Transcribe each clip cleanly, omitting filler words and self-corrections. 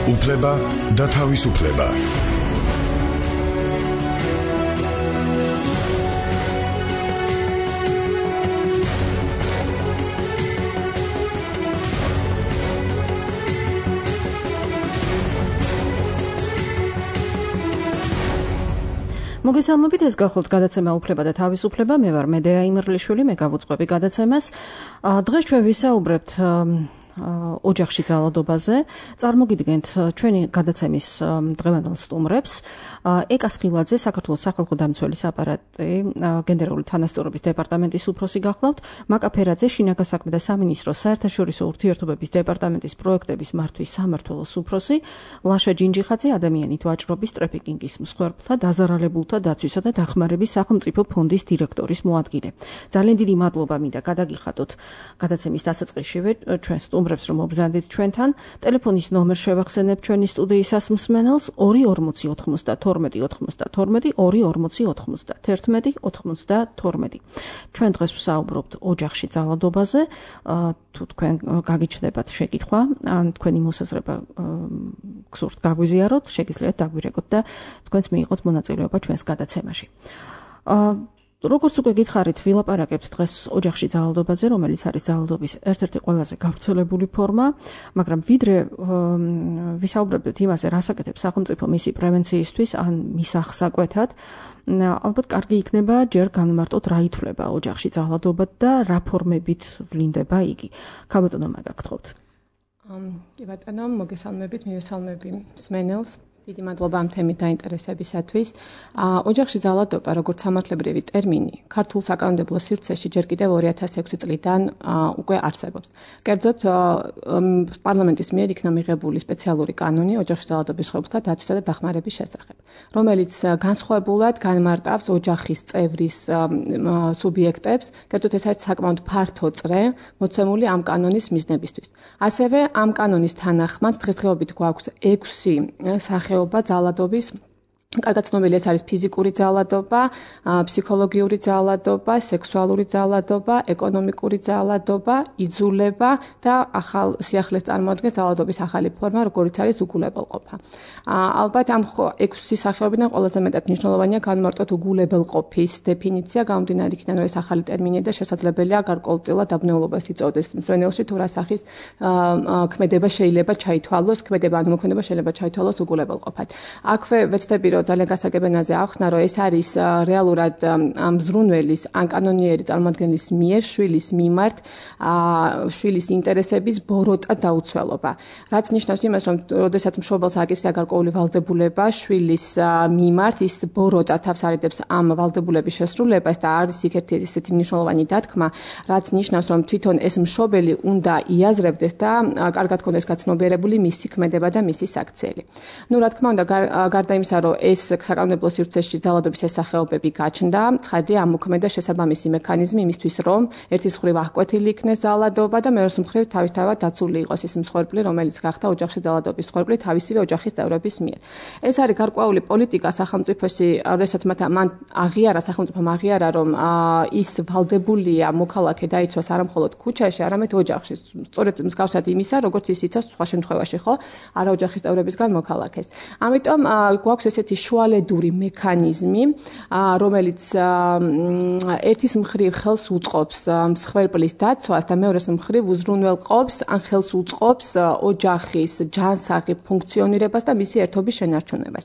უფლება და თავისუფლება. მოგესალმებით, ეს გახლავთ გადაცემა უფლება და თავისუფლება. მე ვარ მედეა იმერლიშვილი, მე გავუწყობი გადაცემას. დღეს ჩვენ ვისაუბრებთ ოჯახში ძალადობაზე. წარმოგიდგენთ ჩვენი გადაცემის დღევანდელ სტუმრებს. ეკა სხილაძე, საქართველოს სახალხო დამცველის აპარატი, გენერალური თანასწორობის დეპარტამენტის უფროსი გახლავთ. მაკა ფერაძე, შინაგან საქმეთა და სამინისტროს საერთაშორისო ურთიერთობების დეპარტამენტის პროექტების მართვის სამმართველოს უფროსი. ლაშა ჯინჯიხაძე, ადამიანით ვაჭრობის, ტრაფიკინგის მსხვერპლთა, დაზარალებულთა დაცვისა და დახმარების სახელმწიფო ფონდის დირექტორის მოადგილე. ძალიან დიდი მადლობა მინდა გადაგიხადოთ გადაცემის დასაწყისშივე ჩვენ სტუმრებს, რომ მობრძანდით ჩვენთან. ტელეფონის ნომერს შევახსენებ ჩვენი სტუდიისას მსმენელს 24092. ჩვენ დღეს ვსაუბრობთ ოჯახში ძალადობაზე. თუ თქვენ გაგიჩნდებათ შეკითხვა, ან თქვენი მოსაზრება გსურთ გაგვიზიაროთ, შეგიძლიათ დაგვირეკოთ და თქვენც მიიღოთ მონაწილეობა ჩვენს გადაცემაში. როგორც უკვე გითხარით, ვილაპარაკებთ დღეს ოჯახში ძალადობაზე, რომელიც არის ძალადობის ერთ-ერთი ყველაზე გავრცელებული ფორმა, მაგრამ ვიდრე ვისაუბრებთ იმაზე, რას აკეთებს სახელმწიფო მისი პრევენციისთვის ან მის აღსაკვეთად, ალბათ კარგი იქნება ჯერ განმარტოთ, რა ითვლება ოჯახში ძალადობა და რა ფორმებით ვლინდება იგი. ქალბატონო, მაგაგთხოვთ. კი ბატონო, მოგესალმებით, მივესალმები მსმენელს. დიდი მადლობა ამ თემით დაინტერესებისათვის. ოჯახში ძალადობა, როგორც სამართლებრივი ტერმინი, ქართულ საკანონმდებლო სივრცეში ჯერ კიდევ 2006 წლიდან უკვე არსებობს. კერძოდ, პარლამენტის მიერ იქნა მიღებული სპეციალური კანონი ოჯახში ძალადობის მსხვერპლთა დაცვისა და დახმარების შესახებ, რომელიც განსხვავებულად განმარტავს ოჯახის წევრის სუბიექტებს, კერძოდ ეს არის საკმაოდ ფართო წრე, მოცემული ამ კანონის მიზნებისთვის. ასევე ამ კანონის თანახმად დღესდღეობით გვაქვს 6 სახეობა ძალადობის. კარგად ცნობილი ეს არის ფიზიკური ძალადობა, ფსიქოლოგიური ძალადობა, სექსუალური ძალადობა, ეკონომიკური ძალადობა, იძულება და ახალ სიახლეს წარმოადგენს ძალადობის ახალი ფორმა, როგორიც არის უგულებელყოფა. ალბათ ამ 6 სახეობიდან ყველაზე მეტად მნიშვნელოვანია განმარტოთ უგულებელყოფის დეფინიცია, გამომდინარე იქიდან, რომ ეს ახალი ტერმინია და შესაძლებელია გარკვეულწილად დაბნეულობას იწვევდეს მსმენელში, თუ რა სახის ქმედება შეიძლება ჩაითვალოს, ქმედება ან მოქმედება შეიძლება ჩაითვალოს უგულებელყოფად. აქვე ვეცდები ძალიან გასაგებენაზე ავხსნა, რომ ეს არის რეალურად მზრუნველის ან კანონიერი წარმოადგენლის მიერ შვილის მიმართ შვილის ინტერესების ბოროტა დაუცველობა. რაც ნიშნავს იმას, რომ როდესაც მშობელს აკისრია გარკვეული ვალდებულება შვილის მიმართ, ის ბოროტა თავს არიდებს ამ ვალდებულების შესრულებას და არის იქ ერთი ესეთი მნიშვნელოვანი დათქმა, რაც ნიშნავს, რომ თვითონ ეს მშობელი უნდა იაზრებდეს და კარგად ქონდეს გაცნობიერებული მისი ქმედება და მისი საქციელი. ნუ რა თქმა უნდა, გარდა იმისა, რომ ეს საკანონმდებლო სივრცეში ძალადობის სახეობები გაჩნდა, ცხადია ამოქმედა შესაბამისი მექანიზმი იმისთვის, რომ ერთის მხრივ აღკვეთილი იქნეს ძალადობა და მეორეს მხრივ თავისთავად დაცული იყოს ის მსხვერპლი, რომელიც გახდა ოჯახში ძალადობის მსხვერპლი თავისივე ოჯახის წევრების მიერ. ეს არის გარკვეული პოლიტიკა სახელმწიფოსი, როდესაც მან აღიარა, სახელმწიფომ აღიარა, რომ ის ვალდებულია მოქალაქე დაიცვას არა მხოლოდ ქუჩაში, არამედ ოჯახში. სწორედ მსგავსად იმისა, როგორც ის იცავს სხვა შემთხვევაში, ხო, არა ოჯახის წევრებისგან მოქალაქეს. ამიტომ გვაქვს ესეთი შუალედური მექანიზმი, რომელიც ერთის მხრივ ხელს უწყობს მსხვერპლის დაცვას და მეორეს მხრივ უზრუნველყოფს ან ხელს უწყობს ოჯახის ჯანსაღი ფუნქციონირებას და მისი ერთობის შენარჩუნებას.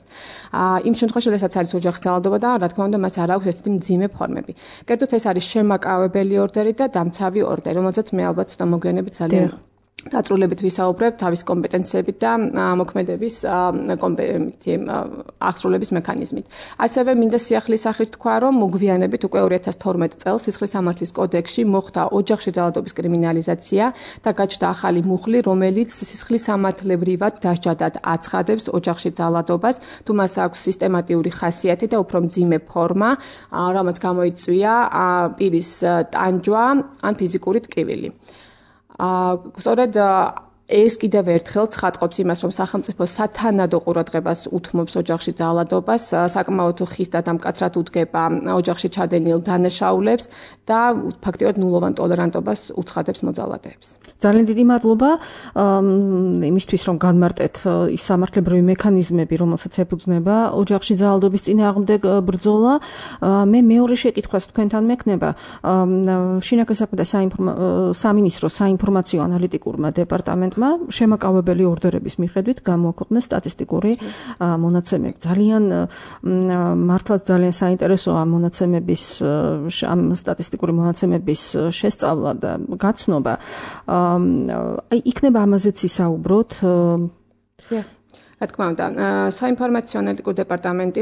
იმ შემთხვევაში, როდესაც არის ოჯახის ძალადობა და რა თქმა უნდა, მას არ აქვს ესეთი მძიმე ფორმები. კერძოდ ეს არის შემაკავებელი ორდერი და დამცავი ორდერი, რომელზეც მე ალბათ ცოტა მოგვიანებით ძალიან დაწვრილებით ვისაუბრებ თავის კომპეტენციებით და მოქმედების აღსრულების მექანიზმით. ასევე მინდა სიახლის სახით თქვა, რომ მოგვიანებით უკვე 2012 წელს სისხლის სამართლის კოდექსში მოხდა ოჯახში ძალადობის კრიმინალიზაცია და გაჩნდა ახალი მუხლი, რომელიც სისხლის სამართლებრივად დასჯადად აცხადებს ოჯახში ძალადობას, თუ მას აქვს სისტემატიური ხასიათი და უფრო მძიმე ფორმა, რამაც გამოიწვია პირის ტანჯვა ან ფიზიკური ტკივილი. სწორედ ეს კიდევ ერთხელ ცხადყოფს იმას, რომ სახელმწიფო სათანადო ყურადღებას უთმობს ოჯახში ძალადობას, საკმაოდ ხის და დამკაცრად უდგება ოჯახში ჩადენილ დანაშაულებს და ფაქტიურად ნულოვან ტოლერანტობას უცხადებს მოძალადეებს. ძალიან დიდი მადლობა იმისთვის, რომ განმარტეთ ის სამართლებრივი მექანიზმები, რომელსაც ეფუძნება ოჯახში ძალადობის წინააღმდეგ ბრძოლა. მე მეორე შეკითხვას თქვენთან მექნება შინაგან საქმეთა სამინისტროს საინფორმაციო ანალიტიკურმა დეპარტამენტმა შემაკავებელი ორდერების მიხედვით გამოაქვეყნა სტატისტიკური მონაცემები. მართლაც ძალიან საინტერესოა ამ სტატისტიკური მონაცემების შესწავლა და გაცნობა. იქნება ამაზეც ისაუბროთ. რა თქმა უნდა, საინფორმაციო ანალიტიკურ დეპარტამენტი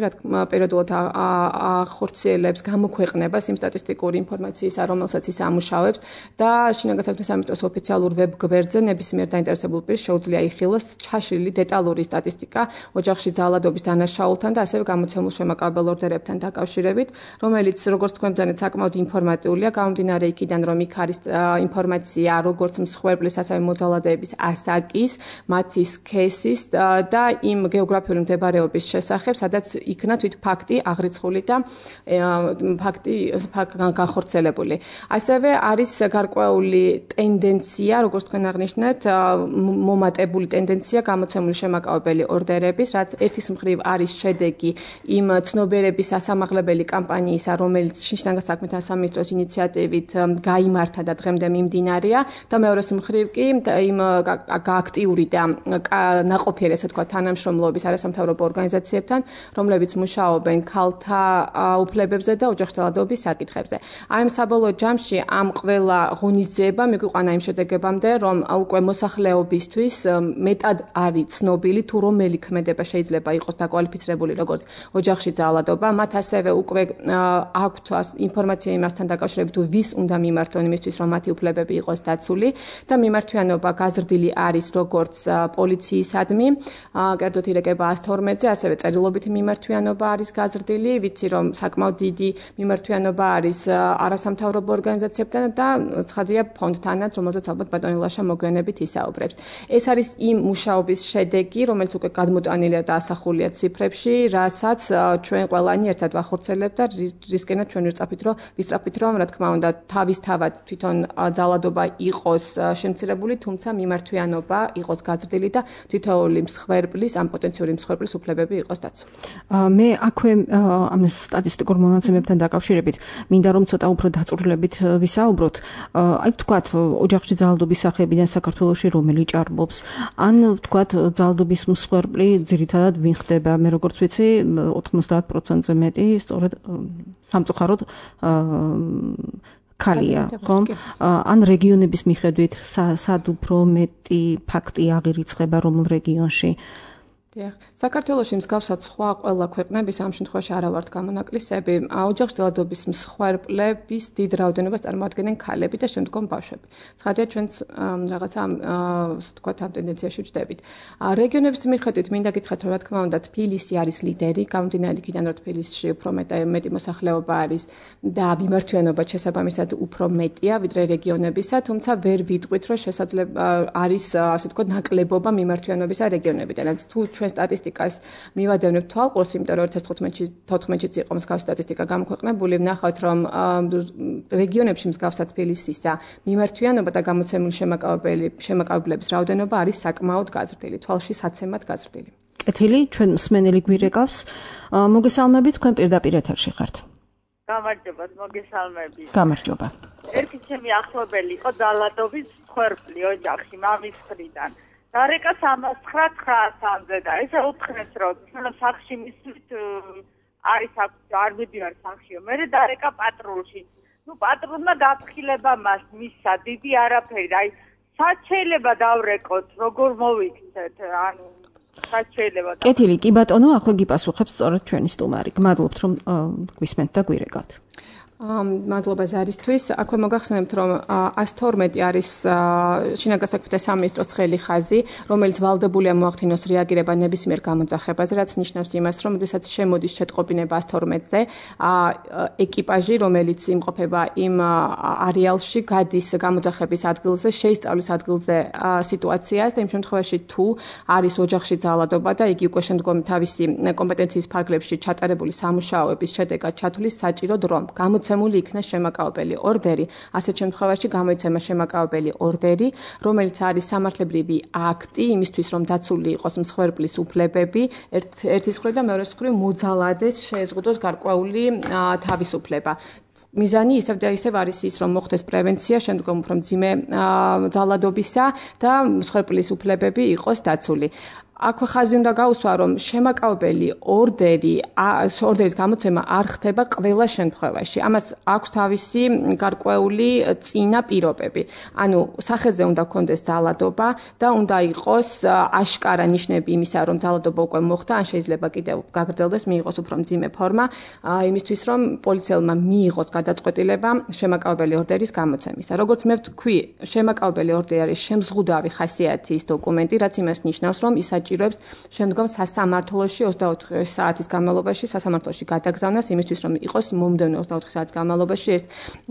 პირადულად ახორციელებს გამოქვეყნებას იმ სტატისტიკური ინფორმაციისა, რომელსაც ის ამუშავებს და შინაგან საქმეთა სამინისტროს ოფიციალურ ვებ გვერდზე ნებისმიერ დაინტერესებულ პირს შეუძლია იხილოს ჩაშლილი დეტალური სტატისტიკა ოჯახში ძალადობის დანაშაულთან და ასევე გამოცემულ შემაკავებელ ორდერებთან დაკავშირებით, რომელიც როგორც თქვენ ბრძანეთ საკმაოდ ინფორმატიულია, გამომდინარე იქიდან, რომ იქ არის ინფორმაცია როგორც მსხვერპლის, ასევე მოძალადეების ასაკის, მათი სქესის და იმ გეოგრაფიული მდებარეობის შესახებ, სადაც იქნა თვით ფაქტი აღრიცხული და ფაქტი განხორციელებული. ასევე არის გარკვეული ტენდენცია, როგორც თქვენ აღნიშნეთ, მომატებული ტენდენცია გამოცემული შემაკავებელი ორდერების, რაც ერთის მხრივ არის შედეგი იმ ცნობიერების ასამაღლებელი კამპანიისა, რომელიც შინაგან საქმეთა სამინისტროს ინიციატივით გაიმართა და დღემდე მიმდინარეა და მეორეს მხრივ კი იმ აქტიური და ნაყოფიერი, ესე თქვა, თანამშრომლობის არასამთავრობო ორგანიზაციებთან, რომლებიც მუშაობენ ქალთა უფლებებზე და ოჯახში ძალადობის საკითხებზე. აი ამ საბოლოო ჯამში ამ ყველა ღონისძიება მიგვიყვანა იმ შედეგებამდე, რომ უკვე მოსახლეობისთვის მეტად არის ცნობილი თუ რომელი ქმედება შეიძლება იყოს დაკვალიფიცირებული როგორც ოჯახში ძალადობა. მათ ასევე უკვე აქვთ ინფორმაცია იმასთან დაკავშირებით, თუ ვის უნდა მიმართონ იმისთვის, რომ მათი უფლებები იყოს დაცული და მიმართვიანობა გაზრდილი არის როგორც პოლიციისადმი, კერძოდ ირეკება 112-ზე, ასევე წერილობითი მიმართვიანობა არის გაზრდილი, ვიცი რომ საკმაოდ დიდი მიმართვიანობა არის არასამთავრობო ორგანიზაციებთან და ცხადია ფონდთანაც, რომელზეც ალბათ ბატონი ლაშა მოგვიანებით ისაუბრებს. ეს არის იმ მუშაობის შედეგი, რომელიც უკვე გადმოტანილია და ასახულია ციფრებში, რასაც ჩვენ ყველანი ერთად ვახორციელებთ და რისკენად ჩვენ ვისწრაფით რომ, რა თქმა უნდა, თავისთავად თვითონ ძალადობა იყოს შემცირებული, თუმცა მიმართვიანობა იყოს გაზრდილი და თითოეული მსხვერპლის, ამ პოტენციური მსხვერპლის უფლებები იყოს დაცული. მე აქვე ამ სტატისტიკურ მონაცემებთან დაკავშირებით მინდა რომ ცოტა უფრო დაწვრილებით ვისაუბროთ. აი ვთქვათ, ოჯახში ძალადობის სახეებიდან საქართველოში რომელი ჭარბობს, ან ვთქვათ, ძალადობის მსხვერპლი ძირითადად ვინ ხდება, მე როგორც ვიცი, 90%-ზე მეტი სწორედ სამწუხაროდ ქალია, ხომ? ან რეგიონების მიხედვით სად უფრო მეტი ფაქტი აღირიცხება რომელ რეგიონში? დიახ, საქართველოში მსგავსად სხვა ყველა ქვეყნების ამ შემთხვევაში არა ვართ გამონაკლისები, ოჯახში ძალადობის მსხვერპლების დიდ რაოდენობას წარმოადგენენ ქალები და შემდგომ ბავშვები. ცხადია ჩვენც რაღაცა თქვა ამ ტენდენციაში ვჯდებით. რეგიონების მიხედვით მინდა გითხრათ, რომ რა თქმა უნდა თბილისი არის ლიდერი, გამომდინარე იქიდან რომ თბილისში უფრო მეტი მოსახლეობა არის და მიმართვიანობა შესაბამისად უფრო მეტია ვიდრე რეგიონებისა, თუმცა ვერ ვიტყვით, რომ შესაძლოა არის ასე თქვა ნაკლებობა მიმართვიანობისა რეგიონებიდან. რაც თუ ჩვენ სტატისტიკას მივადევნებთ თვალყურს, იმიტომ რომ 2014-ში იყო მსგავსი სტატისტიკა გამოქვეყნებული, ვნახავთ, რომ რეგიონებში მსგავსად თბილისისა მიმართვიანობა და გამოცემული შემაკავებლების რაოდენობა არის საკმაოდ გაზრდილი, თვალში საცემად გაზრდილი. კეთილი, ჩვენ მსმენელი გვირეკავს. მოგესალმებით, თქვენ პირდაპირ ეთერში ხართ. გამარჯობა, მოგესალმებით. გამარჯობა. ერთი ჩემი ახლობელი იყო ძალადობის მსხვერპლი ოჯახში, მამის მხრიდან. დარეკა 399-ზე და ესე უთხრეს, რომ სახლში მისვით არის არ მიდივარ სახლშიო. მე დარეკა პატრულში. პატრულმა გაფრთხილება მას მისცა, დიდი არაფერი. სად შეიძლება დავრეკოთ, როგორ მოვიქცეთ, ანუ სად შეიძლება. კეთილი, კი ბატონო, ახლა გიპასუხებს სწორედ ჩვენი სტუმარი. გმადლობთ, რომ გვისმენთ და გვირეკავთ. მადლობა ზარისთვის. აქვე მოგახსენებთ, რომ 112 არის შინაგან საქმეთა სამინისტროს ცხელი ხაზი, რომელიც ვალდებულია მოახდინოს რეაგირება ნებისმიერ გამოძახებაზე, რაც ნიშნავს იმას, რომ შესაძ შემოდის შეტყობინება 112-ზე, ეკიპაჟი, რომელიც იმყოფება იმ არეალში, გადის გამოძახების ადგილზე, შეისწავლის ადგილზე სიტუაციას და იმ შემთხვევაში თუ არის ოჯახში ძალადობა და იგი უკვე შემდგომ თავისი კომპეტენციის ფარგლებში ჩატარებული სამუშაოების შედეგად ჩათვლის საჭიროდ რომ გამოცემული იქნა შემაკავებელი ორდერი, ასეთ შემთხვევაში გამოიცემა შემაკავებელი ორდერი, რომელიც არის სამართლებრივი აქტი იმისთვის, რომ დაცული იყოს მსხვერპლის უფლებები, ერთის მხრივ და მეორეს მხრივ მოძალადეს შეეზღუდოს გარკვეული თავისუფლება. მიზანი ისევ და ისევ არის ის, რომ მოხდეს პრევენცია შემდგომ უფრო მძიმე ძალადობისა და მსხვერპლის უფლებები იყოს დაცული. აქვე ხაზი უნდა გაუსვა, რომ შემაკავებელი ორდერის გამოცემა არ ხდება ყველა შემთხვევაში. ამას აქვს თავისი გარკვეული წინა პირობები. ანუ სახეზე უნდა გქონდეს ძალადობა და უნდა იყოს აშკარა ნიშნები იმისა, რომ ძალადობა უკვე მოხდა, ან შეიძლება კიდევ გაგრძელდეს, მიიღოს უფრო მძიმე ფორმა, იმისთვის, რომ პოლიციელმა მიიღოს გადაწყვეტილება შემაკავებელი ორდერის გამოცემისა. როგორც მე ვთქვი, შემაკავებელი ორდერი არის შემზღუდავი ხასიათის დოკუმენტი, რაც იმას ნიშნავს, რომ ის საჭიროებს შემდგომ სასამართლოში 24 საათის განმავლობაში სასამართლოში გადაგზავნას იმისთვის, რომ იყოს მომდევნო 24 საათის განმავლობაში ეს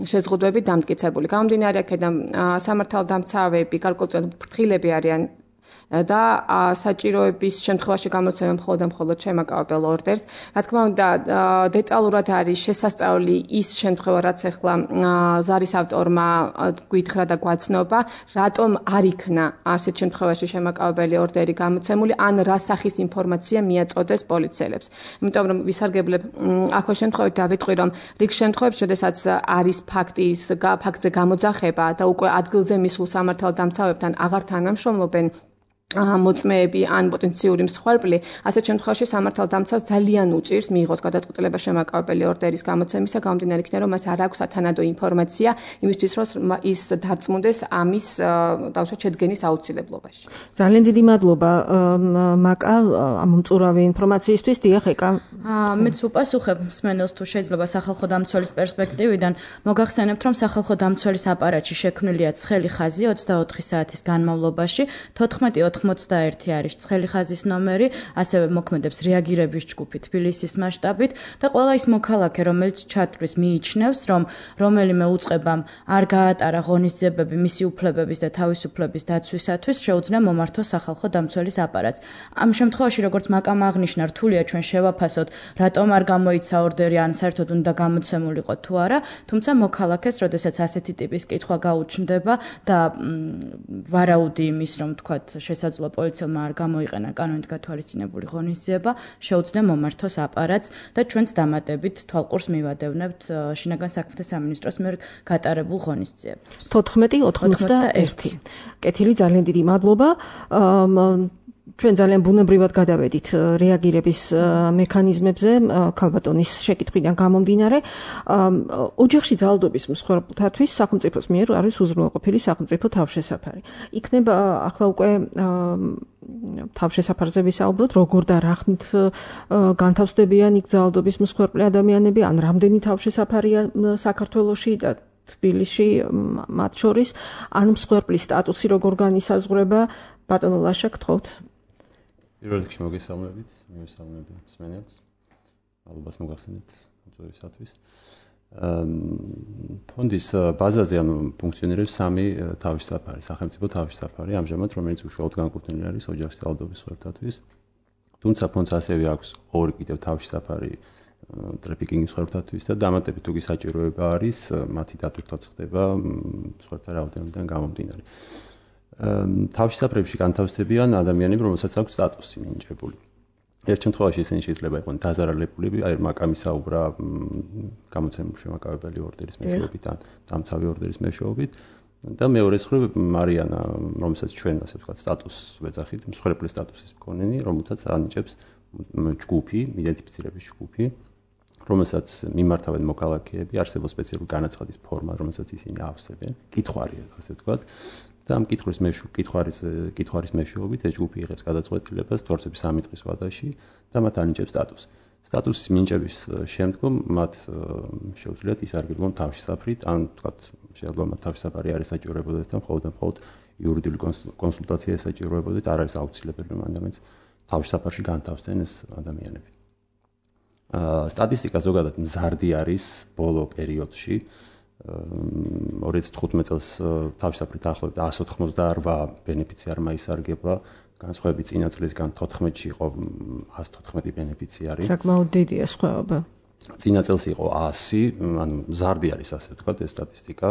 შეზღუდვები დამტკიცებული. გამომდინარე აქედან სამართალდამცავები გარკვეულწილად ფრთხილები არიან და საჭიროების შემთხვევაში გამოცემენ მხოლოდ შემაკავებელ ორდერს. რა თქმა უნდა, დეტალურად არის შესასწავლი ის შემთხვევა, რაც ახლა ზარის ავტორმა გითხრა და გვაცნობა, რატომ არ იქნა ასეთ შემთხვევაში შემაკავებელი ორდერი გამოცემული, ან რა სახის ინფორმაცია მიაწოდეს პოლიციელებს. იმიტომ რომ ვისარგებლებ აქვე შემთხვევით დავიტყვი, რომ რიგ შემთხვევებში, შესაძაც არის ფაქტზე გამოძახება და უკვე ადგილზე მისულ სამართალდამცავებთან აღარ თანამშრომლობენ მოწმეები ან პოტენციური მსხვერპლი, ასეთ შემთხვევაში სამართალდამცავს ძალიან უჭირს მიიღოს გადაწყვეტილება შემაკავებელი ორდერის გამოცემისა, გამომდინარე იქიდან, რომ მას არ აქვს სათანადო ინფორმაცია იმისთვის, რომ ის დარწმუნდეს ამის დავუშვათ შედგენის აუცილებლობაში. ძალიან დიდი მადლობა მაკა ამ მწურავი ინფორმაციისთვის. დიახ, ეკა. მეც უპასუხებ მსმენელს თუ შეიძლება სახალხო დამცველის პერსპექტივიდან, მოგახსენებთ, რომ სახალხო დამცველის აპარატში შექმნილია ცხელი ხაზი 24 საათის განმავლობაში, 1481 არის ცხელი ხაზის ნომერი, ასევე მოქმედებს რეაგირების ჯგუფი თბილისის მასშტაბით და ყველა ის მოქალაქე, რომელიც ჩათვლის მიიჩნევს, რომ რომელიმე უწყებამ არ გაატარა ღონისძიებები მისი უფლებების და თავისუფლების დაცვისათვის, შეუძლია მომართოს სახალხო დამცველის აპარატს. ამ შემთხვევაში, როგორც მაკამ აღნიშნა, რთულია ჩვენ შევაფასოთ, რატომ არ გამოიცა ორდერი, ან საერთოდ უნდა გამოცემულიყო თუ არა, თუმცა მოქალაქეს, როდესაც ასეთი ტიპის კითხვა გაუჩნდება და ვარაუდი იმის, რომ თქვათ შესაძლოა პოლიციელმა არ გამოიყენა კანონით გათვალისწინებული ღონისძიება, შეუძლია მომართოს აპარატს და ჩვენც დამატებით თვალყურს მივადევნებთ შინაგან საქმეთა სამინისტროს მიერ გატარებულ ღონისძიებებს. 1491. კეთილი, ძალიან დიდი მადლობა. ჩვენ ძალიან ბუნებრივად გადავედით რეაგირების მექანიზმებზე ქალბატონის შეკითხვიდან გამომდინარე. ოჯახში ძალადობის მსხვერპლთათვის სახელმწიფოს მიერ არის უზრუნველყოფილი სახელმწიფო თავშესაფარი. იქნება ახლა უკვე თავშესაფარზე ვისაუბროთ, როგორ და რა ხნით განთავსდებიან იქ ძალადობის მსხვერპლი ადამიანები, ან რამდენი თავშესაფარია საქართველოში და თბილისში მათ შორის, ან მსხვერპლის სტატუსი როგორ განისაზღვრება. ბატონო ლაშა, გთხოვთ. პირველ რიგში მოგესალმებით, მივესალმები მსმენელს. მადლობას მოგახსენებთ მოწვევისათვის. ფონდის ბაზაზე ფუნქციონირებს სამი თავშესაფარი, სახელმწიფო თავშესაფარი, ამჟამად რომელიც უშუალოდ განკუთვნილი არის ოჯახის ძალადობის მსხვერპლთათვის. თუმცა ფონდს ასევე აქვს ორი კიდევ თავშესაფარი ტრაფიკინგის მსხვერპლთათვის და დამატებით თუ საჭიროება არის, მათი დატვირთვაც ხდება მსხვერპლთა რაოდენობიდან გამომდინარე. თავშესაფრებში განთავსდებიან ადამიანები, რომელსაც აქვს სტატუსი მინიჭებული. ერთ შემთხვევაში ისინი შეიძლება იყვნენ დაზარალებულები, აი მაკამი საუბრა გამოცემული შემაკავებელი ორდერის მეშვეობით ან დამცავი ორდერის მეშვეობით და მეორეს მხრივ მარიანა, რომელსაც ჩვენ ასე ვთქვათ სტატუსს ვეძახით, მსხვერპლის სტატუსის მქონენი, რომელსაც ანიჭებს ჯგუფი, იდენტიფიცირების ჯგუფი, რომელსაც მიმართავენ მოქალაქეები, არსებობს სპეციალური განაცხადის ფორმა, რომელსაც ისინი ავსებენ, კითხვარია, ასე ვთქვათ. და ამ კითხვარის მეშვეობით ეს ჯგუფი იღებს გადაწყვეტილებას თორსების 3 დღის ვადაში და მათ ანიჭებს სტატუსს. სტატუსის მინიჭების შემდგომ მათ შეუძლიათ ისარგებლონ თავშესაფრით, ან თქვათ შეიძლება მათ თავშესაფარი არ ესაჭიროებოდეთ და მხოლოდ იურიდიული კონსულტაცია ესაჭიროებოდეთ, არ არის აუცილებელი რომ ადამიანს თავშესაფარში განთავსდნენ ეს ადამიანები. სტატისტიკა ზოგადად მზარდი არის ბოლო პერიოდში. 2015 წელს თავშესაფრით ახლობით 188 ბენეფიციარმა ისარგებლა, განსხვავებით წინა წლისგან 14-ში იყო 114 ბენეფიციარი. საკმაოდ დიდია სხვაობა. წინა წელს იყო 100, ანუ მზარდი არის ასე ვთქვათ ეს სტატისტიკა.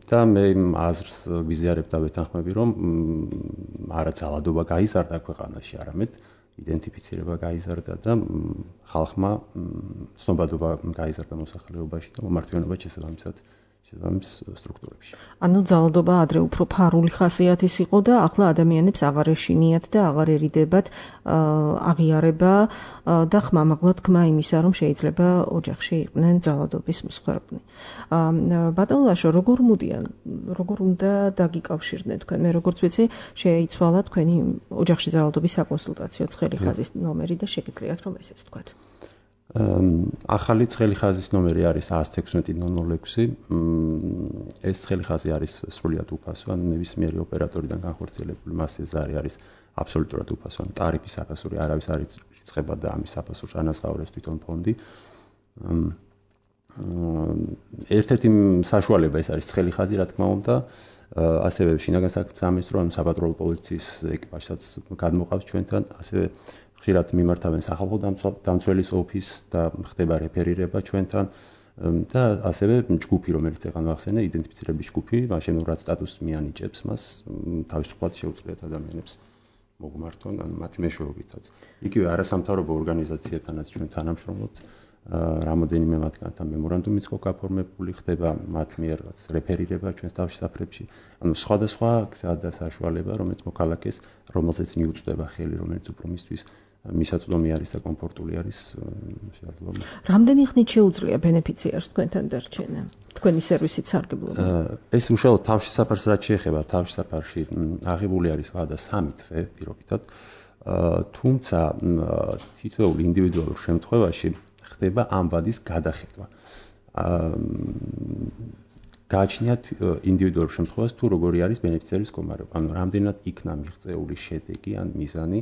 და მე აზრს ვიზიარებ და ვეთანხმები, რომ არა ძალადობა გაიზარდა ქვეყანაში, არამედ იდენტიფიცირება გაიზარდა და ხალხმა ცნობადობა გაიზარდა მოსახლეობაში და მომართვიანობა შესაბამისად შესაბამის სტრუქტურებში. ანუ ძალადობა ადრე უფრო ფარული ხასიათის იყო და ახლა ადამიანებს აღარ ეშინიათ და აღარ ერიდებათ აღიარება და ხმამაღლა თქმა იმისა, რომ შეიძლება ოჯახში იყვნენ ძალადობის მსხვერპლი. ბატონო ლაშო, როგორ უნდა დაგიკავშირდნენ თქვენ? მე როგორც ვიცი, შეიცვალა თქვენი ოჯახში ძალადობის საკონსულტაციო ცხელი ხაზის ნომერი და შეგიძლიათ რომ ესეც თქვათ. ახალი ცხელი ხაზის ნომერი არის 116-006. ეს ცხელი ხაზი არის სრულიად უფასო, ან ნებისმიერი ოპერატორიდან განხორციელებული მასზე ზარი არის აბსოლუტურად უფასო, ან ტარიფის საფასური არავის არ ირიცხება და ამის საფასურს ანაზღაურებს თვითონ ფონდი. ერთ-ერთი საშუალება ეს არის ცხელი ხაზი, რა თქმა უნდა, ასევე შინაგან საქმეთა სამინისტრო ან საპატრულო პოლიციის ეკიპაჟსაც გადმოყავს ჩვენთან, ასევე ხშირად მიმართავენ სახალხო დამცველის ოფისს და ხდება რეფერირება ჩვენთან და ასევე ჯგუფი, რომელიც ეხლა მახსენე, იდენტიფიცირების ჯგუფი, მაშინ რაც სტატუსს მიანიჭებს მას, თავისუფლად შეუძლიათ ადამიანებს მოგმართონ, ან მათი მეშვეობითაც. იგივე არასამთავრობო ორგანიზაციებთანაც ჩვენ თანამშრომლობთ, რამოდენიმე მათგანთან მემორანდუმიც იყო გაფორმებული, ხდება მათ მიერ რეფერირება ჩვენს თავშესაფრებში. ანუ სხვადასხვა გზა და საშუალება, რომელიც მოქალაქეს, რომელზეც მიუწვდება ხელი, რომელიც უფრო მისთვის მისაწვდომი არის და კომფორტული არის შეძლო. რამდენი ხნით შეუძლია ბენეფიციარს თქვენთან დარჩენა? თქვენი სერვისით სარგებლობა? ეს უშუალოდ თავშესაფარს რაც შეეხება, თავშესაფარში აღებული არის ვადა 3 თვე პირობითად. თუმცა თითოეულ ინდივიდუალურ შემთხვევაში ხდება ამ ვადის გადახედვა. გააჩნიათ ინდივიდუალურ შემთხვევას თუ როგორი არის ბენეფიციარის მდგომარეობა, ანუ რამდენად იქნა მიღწეული შედეგი ან მიზანი,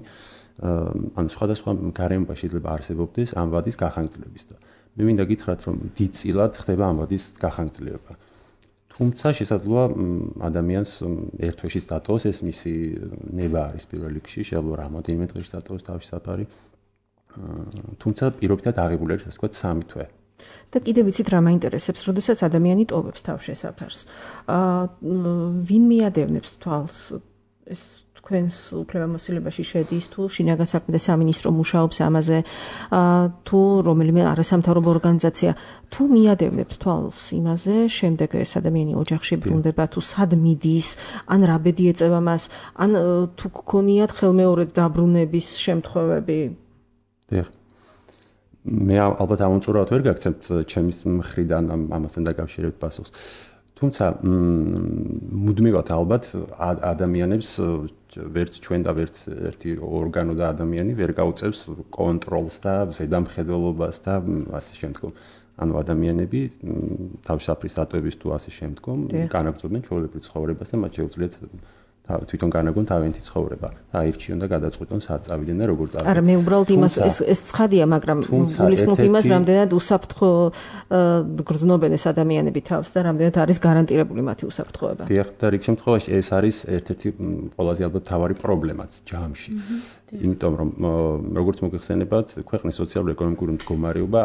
ანუ სხვადასხვა გარემოება შეიძლება არსებობდეს ამ ვადის გახანგრძლივების და მე მინდა გითხრათ, რომ დიდწილად ხდება ამ ვადის გახანგრძლივება. თუმცა შესაძლოა ადამიანს ერთ თვეში დატოვოს, ეს მისი ნება არის პირველ რიგში, შეიძლება რამოდენიმე დღეში დატოვოს თავშესაფარი. თუმცა პირობითად აღებული არის, ასე ვთქვათ, 3 თვე. და კიდევ ვიცით რა მაინტერესებს, როდესაც ადამიანი ტოვებს თავშესაფარს. ვინ მიადევნებს თვალს ეს თქვენს უფლებამოსილებაში შედის, თუ შინაგან საქმეთა სამინისტრო მუშაობს ამაზე, თუ რომელიმე არასამთავრობო ორგანიზაცია, თუ მიადევნებს თვალს იმაზე, შემდეგ ეს ადამიანი ოჯახში ბრუნდება, თუ სად მიდის, ან რა ბედი ეწევა მას, ან თუ გქონიათ ხელმეორედ დაბრუნების შემთხვევები? დიახ. მე ალბათ ამომწურავად ვერ გაგცემთ ჩემის მხრიდან ამასთან დაკავშირებით პასუხს. თუმცა მუდმივად ალბათ ადამიანებს ვერც ჩვენ და ვერც ერთი ორგანო და ადამიანი ვერ გაუწევს კონტროლს და ზედამხედველობას და ასე შემდგომ. ანუ ადამიანები თავშესაფრის დატოვების თუ ასე შემდგომ განაგრძობენ ჩვეულებრივ ცხოვრებას და მათ შეუძლიათ თვითონ განაგონ თავიანთი ცხოვრება და აირჩიონ და გადაწყვიტონ სად წავიდნენ და როგორ წავიდნენ. არა, მე უბრალოდ იმას ეს ცხადია, მაგრამ გულისხმობ იმას, რამდენად უსაფრთხო გრძნობენ ეს ადამიანები თავს და რამდენად არის გარანტირებული მათი უსაფრთხოება. დიახ, და რიგ შემთხვევაში ეს არის ერთ-ერთი ყველაზე ალბათ მთავარი პრობლემაც ჯამში. იმიტომ რომ როგორც მოგეხსენებათ, ქვეყნის სოციალურ-ეკონომიკური მდგომარეობა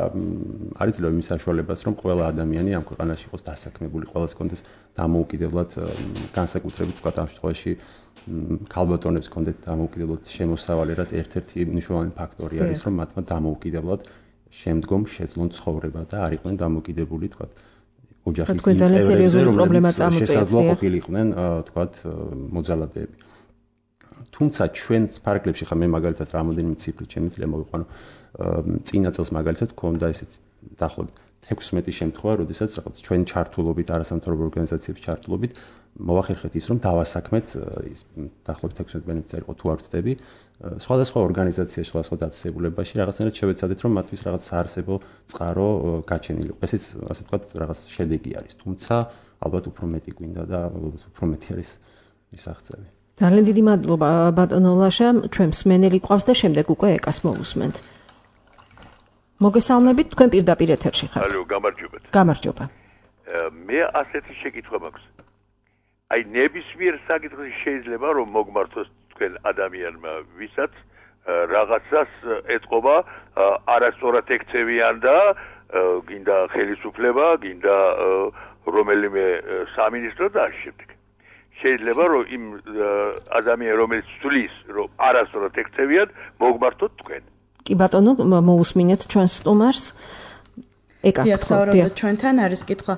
არის ძლევა იმის საშუალებას, რომ ყველა ადამიანი ამ ქვეყანაში იყოს დასაქმებული, ყველას კონდეს დამოუკიდებლად განსაკუთრებით თქვა ამ შემთხვევაში ქალბატონებს კონდეთ დამოუკიდებლად შემოსავალი, რაც ერთ-ერთი მნიშვნელოვანი ფაქტორი არის, რომ მათმა დამოუკიდებლად შემდგომ შეძლონ ცხოვრება და არ იყვნენ დამოუკიდებული თქვა ოჯახის წევრებზე, რომლებიც შესაძლოა ყოფილიყვნენ თქვა მოძალადეები. თუმცა ჩვენს ფარგლებში ხა მე მაგალითად რამოდენიმე ციფრი შემიძლია მოვიყვანო. წინა წელს მაგალითად ქონდა ესეთი დაახლოებით 16 შემთხვევა, როდესაც რაღაც ჩვენ ჩართულობით, არასამთავრობო ორგანიზაციების ჩართულობით მოვახერხეთ ის, რომ დავასაქმეთ ის დაახლოებით 16 ბენეფიციარი იყო თუ არ ვცდები, სხვადასხვა ორგანიზაციაში, სხვადასხვა დაწესებულებაში რაღაცნაირად შევეცადეთ, რომ მათთვის რაღაც საარსებო წყარო გაჩენილიყო. ესეც ასე ვთქვათ, რაღაც შედეგი არის, თუმცა ალბათ უფრო მეტი გვინდა და უფრო მეტი არის მისაღწევი. ძალიან დიდი მადლობა ბატონო ლაშა, ჩვენ მსმენელი ყავს და შემდეგ უკვე ეკას მოვუსმენთ. მოგესალმებით, თქვენ პირდაპირ ეთერში ხართ. ალო, გამარჯობათ. გამარჯობა. მე ასეთი შეკითხვა მაქვს. აი ნებისმიერ საკითხში შეიძლება რომ მოგმართოს თქვენ ადამიანმა, ვისაც რაღაცას ეთყობა არასწორად ექცევიან და გინდა ხელისუფლება, გინდა რომელიმე სამინისტრო და ამ შემდეგ. შეიძლება რომ იმ ადამიანს რომელიც ცulis რომ არასწორად ექცევიან, მოგმართოთ თქვენ. კი ბატონო, მოусმინეთ ჩვენს სტუმარს. დიახ, საუბრობთ ჩვენთან არის კითხვა.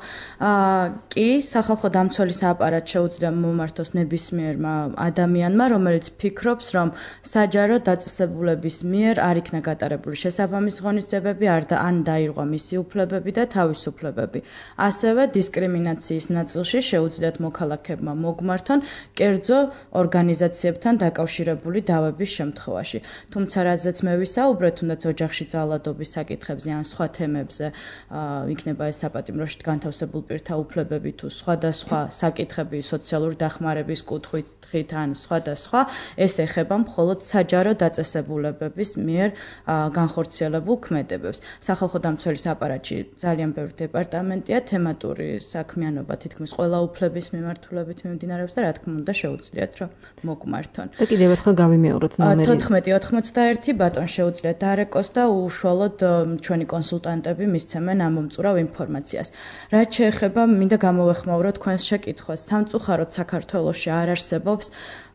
კი, სახალხო დამცველის აპარატ შეუძლია მომართოს ნებისმიერმა ადამიანმა, რომელიც ფიქრობს, რომ საჯარო დაწესებულების მიერ არ იქნა გატარებული შესაბამისი ღონისძიებები, ან დაირღვა მისი უფლებები და თავისუფლებები. ასევე დისკრიმინაციის ნაწილში შეუძლიათ მოქალაქეებმა მოგმართონ კერძო ორგანიზაციებთან დაკავშირებული დავების შემთხვევაში. თუმცა რაზეც მე ვისაუბრეთ, თუნდაც ოჯახში ძალადობის საკითხებზე ან სხვა თემებზე იქნება ეს საპატიმროში განთავსებულ პირთა უფლებები თუ სხვადასხვა საკითხები სოციალური დახმარების კუთხით ან სხვადასხვა, ეს ეხება მხოლოდ საჯარო დაწესებულებების მიერ განხორციელებულ ქმედებებს. სახალხო დამცველის აპარატში ძალიან ბევრი დეპარტამენტია, თემატური საქმიანობა თითქმის ყველა უფლების მიმართულებით მიმდინარეობს და რა თქმა უნდა შეუძლიათ რომ მოგმართონ. და კიდევ ერთხელ გავიმეოროთ ნომერი 1491 ბატონ შეუძლიათ დარეკოს და უშუალოდ ჩვენი კონსულტანტები მისცემენ ამომწურავ ინფორმაციას. რაც შეეხება, მინდა გამოვეხმაუროთ თქვენს შეკითხვას. სამწუხაროდ საქართველოში არ არსებობს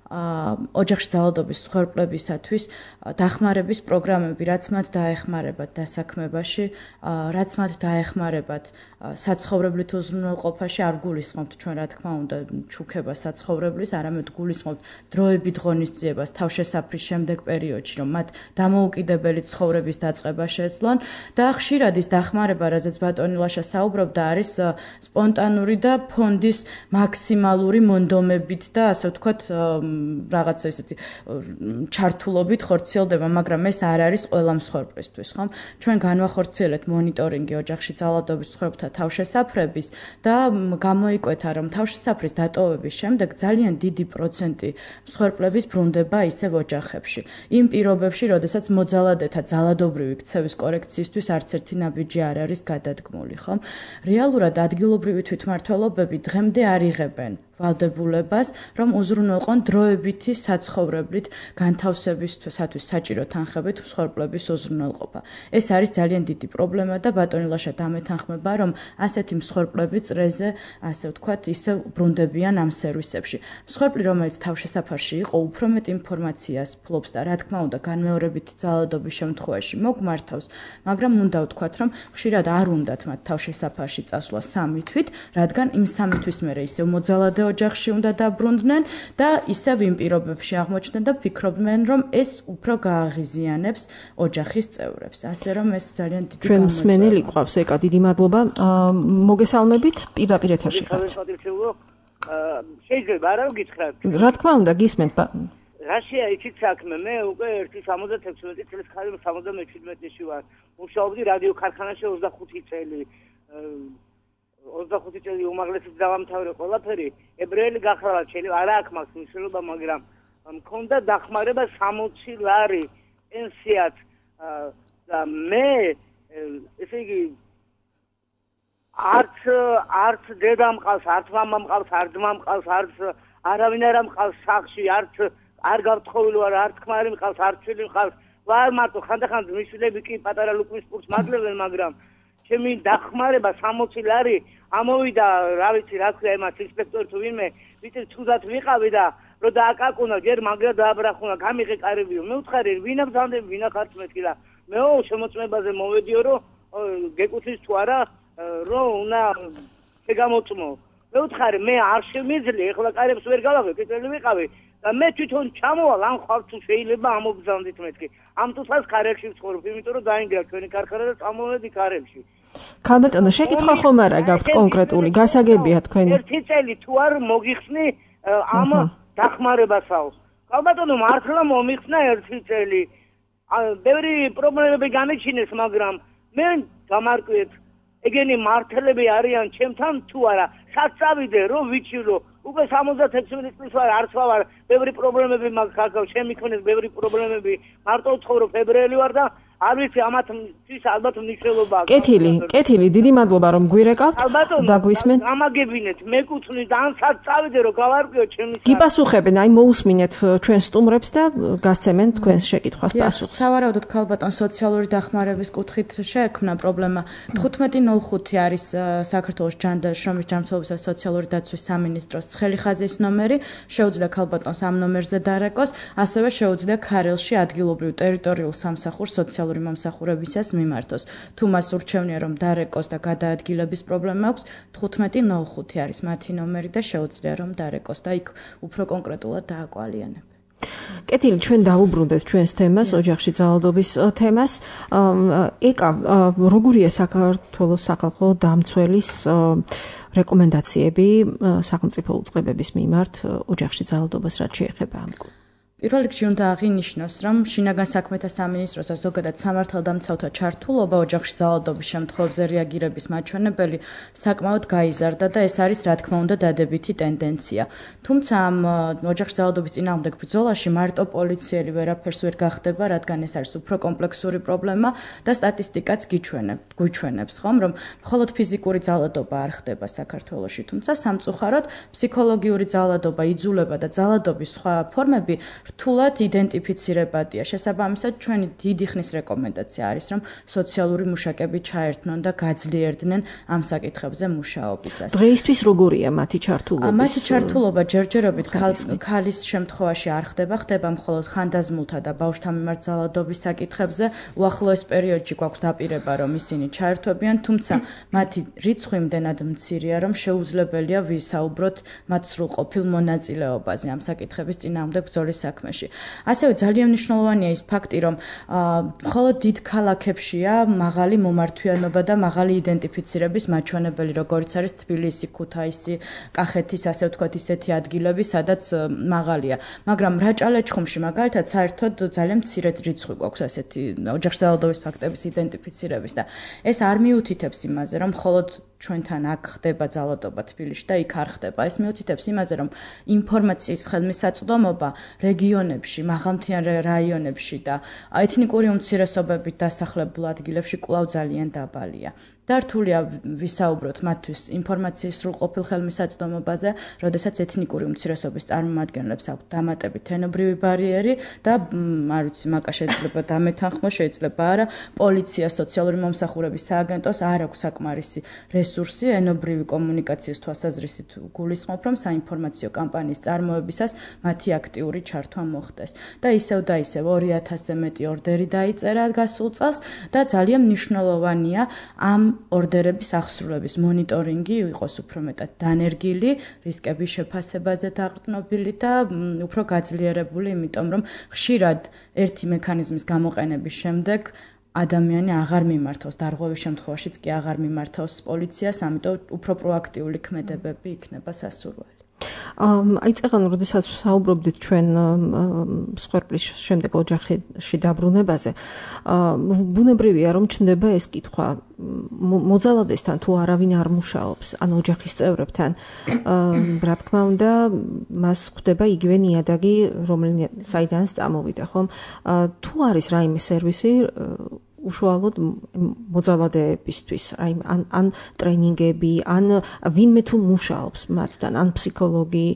ოჯახში ძალადობის მსხვერპლებისათვის დახმარების პროგრამები, რაც მათ დაეხმარებათ დასაქმებაში, რაც მათ დაეხმარებათ საცხოვრებლით უზრუნველყოფაში, არ გულისხმობთ ჩვენ რა თქმა უნდა ჩუქება საცხოვრებლის, არამედ გულისხმობთ დროებით ღონისძიებას თავშესაფრის შემდეგ პერიოდში, რომ მათ დამოუკიდებელი ცხოვრების დაწყება შეძლონ და ხშირად ის დახმარება, რაზეც ბატონი ლაშა საუბრობდა, არის სპონტანური და ფონდის მაქსიმალური მონდომებით და ასე ვთქვათ რაღაცა ესეთი ჩართულობით ხორციელდება, მაგრამ ეს არ არის ყველა მსხვერპლისთვის, ხომ? ჩვენ განვახორციელებთ მონიტორინგი ოჯახში ძალადობის მსხვერპლთა თავშესაფრების და გამოიკვეთა, რომ თავშესაფრის დატოვების შემდეგ ძალიან დიდი პროცენტი მსხვერპლების ბრუნდება ისევ ოჯახებში. იმ პირობებში, როდესაც მოძალადეთა ძალადობრივი ქცევის კორექციისთვის არც ერთი ნაბიჯი არ არის გადადგმული, ხომ? რეალურად ადგილობრივი თვითმმართველობები დღემდე არ იღებენ ვალდებულებას, რომ უზრუნველყონ დროებითი საცხოვრებლით განთავსებისათვის საჭირო თანხებით მსხვერპლების უზრუნველყოფა. ეს არის ძალიან დიდი პრობლემა და ბატონი ლაშა დამეთანხმება, რომ ასეთი მსხვერპლები წრეზე, ასე ვთქვათ, ისევ ბრუნდებიან ამ სერვისებში. მსხვერპლი, რომელიც თავშესაფარში იყო, უფრო მეტ ინფორმაციას ფლობს და რა თქმა უნდა, განმეორებითი ძალადობის შემთხვევაში მოგმართავს, მაგრამ უნდა ვთქვათ, რომ ხშირად არ უნდათ მათ თავშესაფარში წასვლა 3 თვით, რადგან იმ 3 თვის მერე ისევ მოძალადე ოჯახში უნდა დაბრუნდნენ და ისევ იმ პირობებში აღმოჩნდნენ და ფიქრობდნენ, რომ ეს უფრო გააღიზიანებს ოჯახის წევრებს. ასე რომ ეს ძალიან დიდი ჩვენ მსმენელი ყავს, ეკა, დიდი მადლობა. მოგესალმებით, პირდაპირ ეთერში ხართ. შეიძლება არა გითხრათ? რა თქმა უნდა, გისმენთ. რაშია იცით საქმე? მე უკვე 76 წლის ხარ 77-ში ვარ. მუშაობდი რადიო ქარხანაში 25 წელი. 25 წელი უმაღლესი დავამთავრე ყველაფერი, ებრაელი გახლავთ შეიძლება არა აქვს მას მნიშვნელობა, მაგრამ მქონდა დახმარება 60 ლარი პენსიად და მე ესე იგი არც დედა მყავს, არც მამა მყავს, არც ძმა მყავს, არც არავინ არ მყავს სახლში, არ გავთხოვილი ვარ, არც ქმარი მყავს, არც შვილი მყავს. ვარ მარტო, ხანდახან ძმისშვილები კი პატარა ლუκმის პურს მაგლებენ, მაგრამ ჩემი დახმარება 60 ლარი ამოვიდა, რა ვიცი, რა ქვია იმას ინსპექტორი თუ ვინმე, ვიცი თუდად ვიყავი და რომ დააკაკუნა, ჯერ მაგრა დააბრახუნა, გამიღე კარებიო. მე ვთხარი, ვინა ბრძანდები, ვინა ხართ მეთქი და მეო შემოწმებაზე მოვედიო, რომ გეკუთვნის თუ არა, რომ უნდა შეგამოწმო. მე ვთხარი, მე არ შემიძლია, ეხლა კარებს ვერ გავაღებ, კეთილი ვიყავი და მე თვითონ ჩამოვალ, ამ ხარ თუ შეიძლება ამობრძანდით მეთქი. ამ თუსაც კარებში ვცხოვრობ, იმიტომ რომ დაინგრა ჩვენი ქარხანა და წამოვედი კარებში. ქალბატონო, შეკითხვა ხომ არა გაქვთ კონკრეტული, გასაგებია თქვენი. ერთი წელი თუ არ მოგიხსნი ამ დახმარებასაო. ქალბატონო, მართლა მომიხსნა ერთი წელი. ბევრი პრობლემები განიჩინეს, მაგრამ მე გამარკვიეთ, ეგენი მართლები არიან ჩემთან თუ არა. სად წავიდე, რომ ვიცილო, უკვე 76 წლის ვარ, არც ვარ, ბევრი პრობლემები მაქვს, ჩემი ქონეს ბევრი პრობლემები, მარტო ვცხოვრობ, ფებრიალი ვარ და არ ვიცი ამათთვის ალბათ მნიშვნელობა აქვს. კეთილი, დიდი მადლობა რომ გვირეკავთ და გვისმენთ. ამაგებინეთ, მეკუთვნი და ან სად წავიდე რომ გავარკვიო ჩემი. გიპასუხებენ, აი მოусმინეთ ჩვენ სტუმრებს და გასცემენ თქვენს შეკითხვას პასუხს. სავარაუდოდ ქალბატონ სოციალური დახმარების კუთხით შეექმნა პრობლემა. 1505 არის საქართველოს შრომის ჯანმრთელობისა და სოციალური დაცვის სამინისტროს ცხელი ხაზის ნომერი, შეუძლია ქალბატონს ამ ნომერზე დარეკოს, ასევე შეუძლია ქარელში ადგილობრივ ტერიტორიულ სამსახურს სოციალური მომსახურებისას მიმართოს. თუ მას ურჩევნია რომ დარეკოს და გადაადგილების პრობლემა აქვს, 1505 არის მათი ნომერი და შეუძლია რომ დარეკოს და იქ უფრო კონკრეტულად დააკვალიანებენ. კეთილი, ჩვენ დავუბრუნდეთ ჩვენს თემას, ოჯახში ძალადობის თემას. ეკა, როგორია საქართველოს სახალხო დამცველის რეკომენდაციები სახელმწიფო უწყებების მიმართ ოჯახში ძალადობას რაც შეეხება ამ პირველ რიგში უნდა აღინიშნოს, რომ შინაგან საქმეთა სამინისტროს და ზოგადად სამართალდამცავთა ჩართულობა ოჯახში ძალადობის შემთხვევებზე რეაგირების მაჩვენებელი საკმაოდ გაიზარდა და ეს არის, რა თქმა უნდა, დადებითი ტენდენცია. თუმცა ამ ოჯახში ძალადობის წინააღმდეგ ბრძოლაში მარტო პოლიციელი ვერაფერს ვერ გახდება, რადგან ეს არის უფრო კომპლექსური პრობლემა და სტატისტიკაც გვიჩვენებს, ხომ, რომ მხოლოდ ფიზიკური ძალადობა არ ხდება საქართველოში, თუმცა სამწუხაროდ ფსიქოლოგიური ძალადობა, იძულება და ძალადობის სხვა ფორმები რთულად იდენტიფიცირებადია. შესაბამისად, ჩვენი დიდი ხნის რეკომენდაცია არის, რომ სოციალური მუშაკები ჩაერთნონ და გაძლიერდნენ ამ საკითხებზე მუშაობისას. დღეისთვის როგორია მათი ჩართულობა? მათი ჩართულობა ჯერჯერობით ქალის შემთხვევაში არ ხდება მხოლოდ ხანდაზმულთა და ბავშვთა მიმართ ძალადობის საკითხებზე. უახლოეს პერიოდში გვაქვს დაპირება, რომ ისინი ჩაერთვებიან, თუმცა მათი რიცხვი იმდენად მცირეა, რომ შეუძლებელია ვისაუბროთ მათ სრულყოფილ მონაწილეობაზე ამ საკითხების წინააღმდეგ ბრძოლის საქმეში. ასევე ძალიან მნიშვნელოვანია ის ფაქტი, რომ მხოლოდ დიდ ქალაქებშია მაღალი მომართვიანობა და მაღალი იდენტიფიცირების მაჩვენებელი, როგორც არის თბილისი, ქუთაისი, კახეთის, ასე ვთქვათ, ისეთი ადგილები, სადაც მაღალია. მაგრამ რაჭა-ლეჩხუმში მაგალითად საერთოდ ძალიან მცირე რიცხვი გვაქვს ასეთი ოჯახში ძალადობის ფაქტების იდენტიფიცირების და ეს არ მიუთითებს იმაზე, რომ მხოლოდ ჩვენთან აქ ხდება ძალადობა თბილისში და იქ არ ხდება. ეს მიუთითებს იმაზე, რომ ინფორმაციის ხელმისაწვდომობა რეგიონებში, მაღალმთიან რაიონებში და ეთნიკური უმცირესობებით დასახლებულ ადგილებში კვლავ ძალიან დაბალია. და რთულია ვისაუბროთ მათთვის ინფორმაციის სრულყოფილ ხელმისაწვდომობაზე, როდესაც ეთნიკური უმცირესობის წარმომადგენლებს აქვთ დამატებით ენობრივი ბარიერი და არ ვიცი, მაკა შეიძლება დამეთანხმო, შეიძლება არა, პოლიცია, სოციალური მომსახურების სააგენტოს არ აქვს საკმარისი რესურსი ენობრივი კომუნიკაციის თვალსაზრისით გულისხმობ, რომ საინფორმაციო კამპანიის წარმოებისას მათი აქტიური ჩართვა მოხდეს. და ისევ 2000-ზე მეტი ორდერი დაიწერა გასულ წელს და ძალიან მნიშვნელოვანია ამ ორდერების აღსრულების მონიტორინგი იყოს უფრო მეტად დანერგილი, რისკების შეფასებაზე დაყრდნობილი და უფრო გაძლიერებული, იმიტომ რომ ხშირად ერთი მექანიზმის გამოყენების შემდეგ ადამიანი აღარ მიმართავს, დარღვევის შემთხვევაშიც კი აღარ მიმართავს პოლიციას, ამიტომ უფრო პროაქტიული ქმედებები იქნება სასურველი. აი წეგან როდესაც საუბრობდით ჩვენ მსხვერპლის შემდეგ ოჯახში დაბრუნებაზე, ბუნებრივია რომ ჩნდება ეს კითხვა, მოძალადესთან თუ არავინ არ მუშაობს, ან ოჯახის წევრებთან, რა თქმა უნდა, მას ხვდება იგივე ნიადაგი, საიდანაც წამოვიდა, ხომ? თუ არის რაიმე სერვისი უშუალოდ მოძალადეებისთვის, ან ტრენინგები, ან ვინმე თუ მუშაობს მათთან, ან ფსიქოლოგი.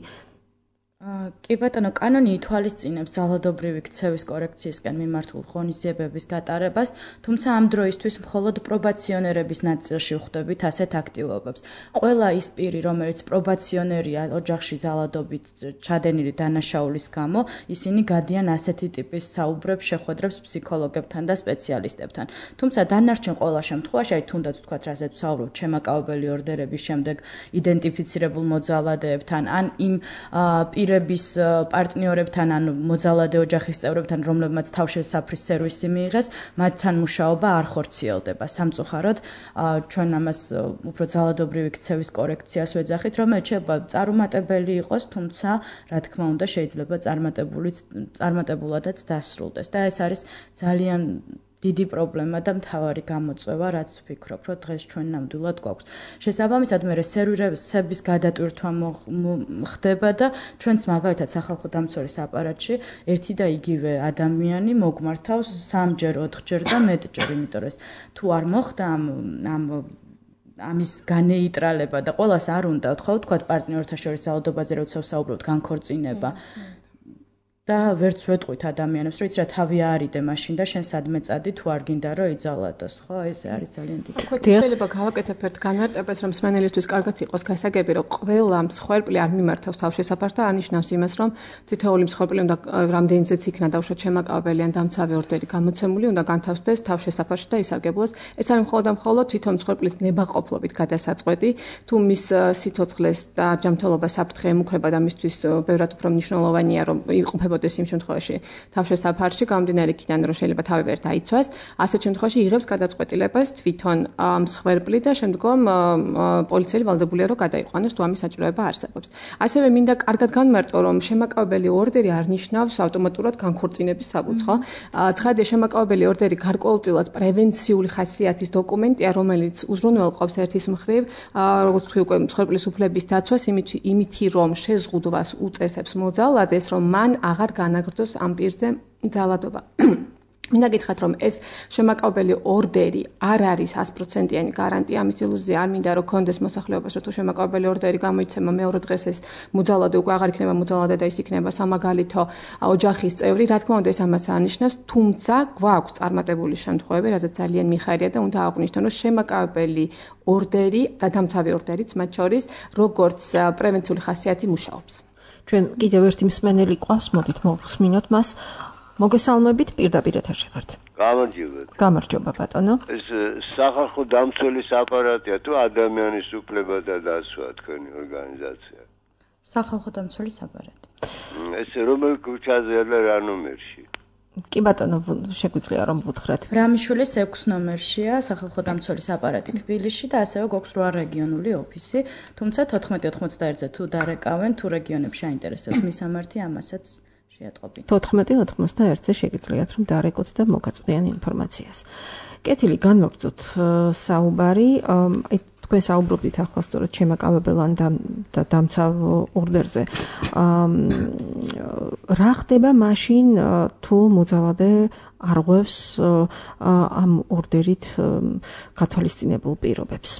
კი ბატონო, კანონი ითვალისწინებს ძალადობრივი ქცევის კორექციისკენ მიმართულ ღონისძიებების გატარებას, თუმცა ამ დროისთვის მხოლოდ პრობაციონერების ნაწილში ვხვდებით ასეთ აქტივობებს. ყველა ის პირი, რომელიც პრობაციონერია ოჯახში ძალადობით ჩადენილი დანაშაულის გამო, ისინი გადიან ასეთი ტიპის საუბრებს, შეხვედრებს ფსიქოლოგებთან და სპეციალისტებთან. თუმცა დანარჩენ ყველა შემთხვევაში, აი თუნდაც ვთქვათ, რასაც ვსაუბრობთ, შემაკავებელი ორდერების შემდეგ იდენტიფიცირებულ მოძალადეებთან, ან იმ პირების პარტნიორებთან ან მოძალადე ოჯახის წევრებთან, რომლებმაც თავშესაფრის სერვისი მიიღეს, მათთან მუშაობა არ ხორციელდება. სამწუხაროდ, ჩვენ ამას უფრო ძალადობრივი ქცევის კორექციას ვეძახით, რომელიც შეიძლება წარუმატებელი იყოს, თუმცა, რა თქმა უნდა, შეიძლება წარმატებულადაც დასრულდეს. და ეს არის ძალიან დიდი პრობლემა და მთავარი გამოწვევა, რაც ვფიქრობ, რომ დღეს ჩვენ ნამდვილად გვაქვს. შესაბამისად, მე სერვირების გადატვირთვა ხდება და ჩვენც მაგალითად სახალხო დამცველის აპარატში ერთი და იგივე ადამიანი მოგმართავს 3-ჯერ, 4-ჯერ და მეტჯერ, იმიტომ რომ თუ არ მოხდა ამის განეიტრალება და ყველას არ უნდა თქვა პარტნიორთა შორის ძალადობაზე როცა ვსაუბრობთ განქორწინება და ვერც ვეტყვით ადამიანებს, რომ იცი რა თავი არიდე მაშინ და შენ სადმე წადი თუ არ გინდა რომ იძალადოს, ხო? ეს არის ძალიან დიდი. შეიძლება გავაკეთებ ერთ განმარტებას, რომ მსმენელისთვის კარგად იყოს გასაგები, რომ ყველა მსხვერპლი არ მიმართავს თავშესაფარს და არნიშნავს იმას, რომ თითოეული მსხვერპლი უნდა რამდენზეც იქნა დავუშვათ შემაკავებელი ან დამცავი ორდერი გამოცემული, უნდა განთავსდეს თავშესაფარში და ისარგებლოს. ეს არის მხოლოდ და მხოლოდ თვითონ მსხვერპლის ნებაყოფლობით გადასაწყვეტი, თუ მის სიცოცხლეს და ჯანმრთელობას საფრთხე ემუქრება და მისთვის ბევრად უფრო მნიშვნელოვანია, რომ იყოფებოდეს იმ შემთხვევაში თავშესაფარში, გამომდინარე იქიდან, რომ შეიძლება თავი ვერ დაიცვას, ასეთ შემთხვევაში იღებს გადაწყვეტილებას თვითონ მსხვერპლი და შემდგომ პოლიციელი ვალდებულია, რომ გადაიყვანოს თუ ამის საჭიროება არსებობს. ასევე მინდა კარგად განმარტო, რომ შემაკავებელი ორდერი არ ნიშნავს ავტომატურად განქორწინების საფუძს, ხო? ცხადია, შემაკავებელი ორდერი გარკვეულწილად პრევენციული ხასიათის დოკუმენტია, რომელიც უზრუნველყოფს ერთის მხრივ, როგორც თქვი უკვე მსხვერპლის უფლების დაცვას, იმითი რომ შეზღუდვას უწესებს მოძალადეს, რომ მან აღარ განაგრძოს ამ პირზე ძალადობა. მინდა გითხრათ, რომ ეს შემაკავებელი ორდერი არ არის 100%-იანი გარანტია, ამის ილუზია არ მინდა რომ კონდეს მოსახლეობას, რომ თუ შემაკავებელი ორდერი გამოიცემა მეორე დღეს ეს მოძალადე უკვე აღარ იქნება მოძალადე და ის იქნება სამაგალითო ოჯახის წევრი, რა თქმა უნდა ეს ამას არნიშნავს, თუმცა გვაქვს წარმატებული შემთხვევები, რადგან ძალიან მიხარია და უნდა აღვნიშნო, რომ შემაკავებელი ორდერი და დამცავი ორდერიც მათ შორის როგორც პრევენციული ხასიათი მუშაობს. ჩვენ კიდევ ერთი მსმენელი ყავს, მოდით მოვუსმინოთ მას. მოგესალმებით, პირდაპირ ეთერში ხართ. გამარჯობა ბატონო. ეს სახალხო დამცველის აპარატია თუ ადამიანის უფლება და დაცვა თქვენი ორგანიზაცია? სახალხო დამცველის აპარატი. ეს რომელ ქუჩაზეა და რა ნომერში? კი ბატონო, შეგვიძლია რომ ვუთხრათ. რამიშვილის 6 ნომერშია სახალხო დამცველის აპარატი თბილისში და ასევე გვაქვს 8 რეგიონული ოფისი, თუმცა 1491-ზე თუ დარეკავენ, თუ რეგიონებში აინტერესებთ მისამართი, ამასაც შეატყობინეთ. 1491-ზე შეგიძლიათ რომ დარეკოთ და მოგაწვდიან ინფორმაციას. კეთილი, განვაგრძოთ საუბარი, თქვენ საუბრობდით ახლა სწორედ შემაკავებელან და დამცავ ორდერზე. რა ხდება მაშინ თუ მოძალადე არღვევს ამ ორდერით გათვალისწინებულ პირობებს?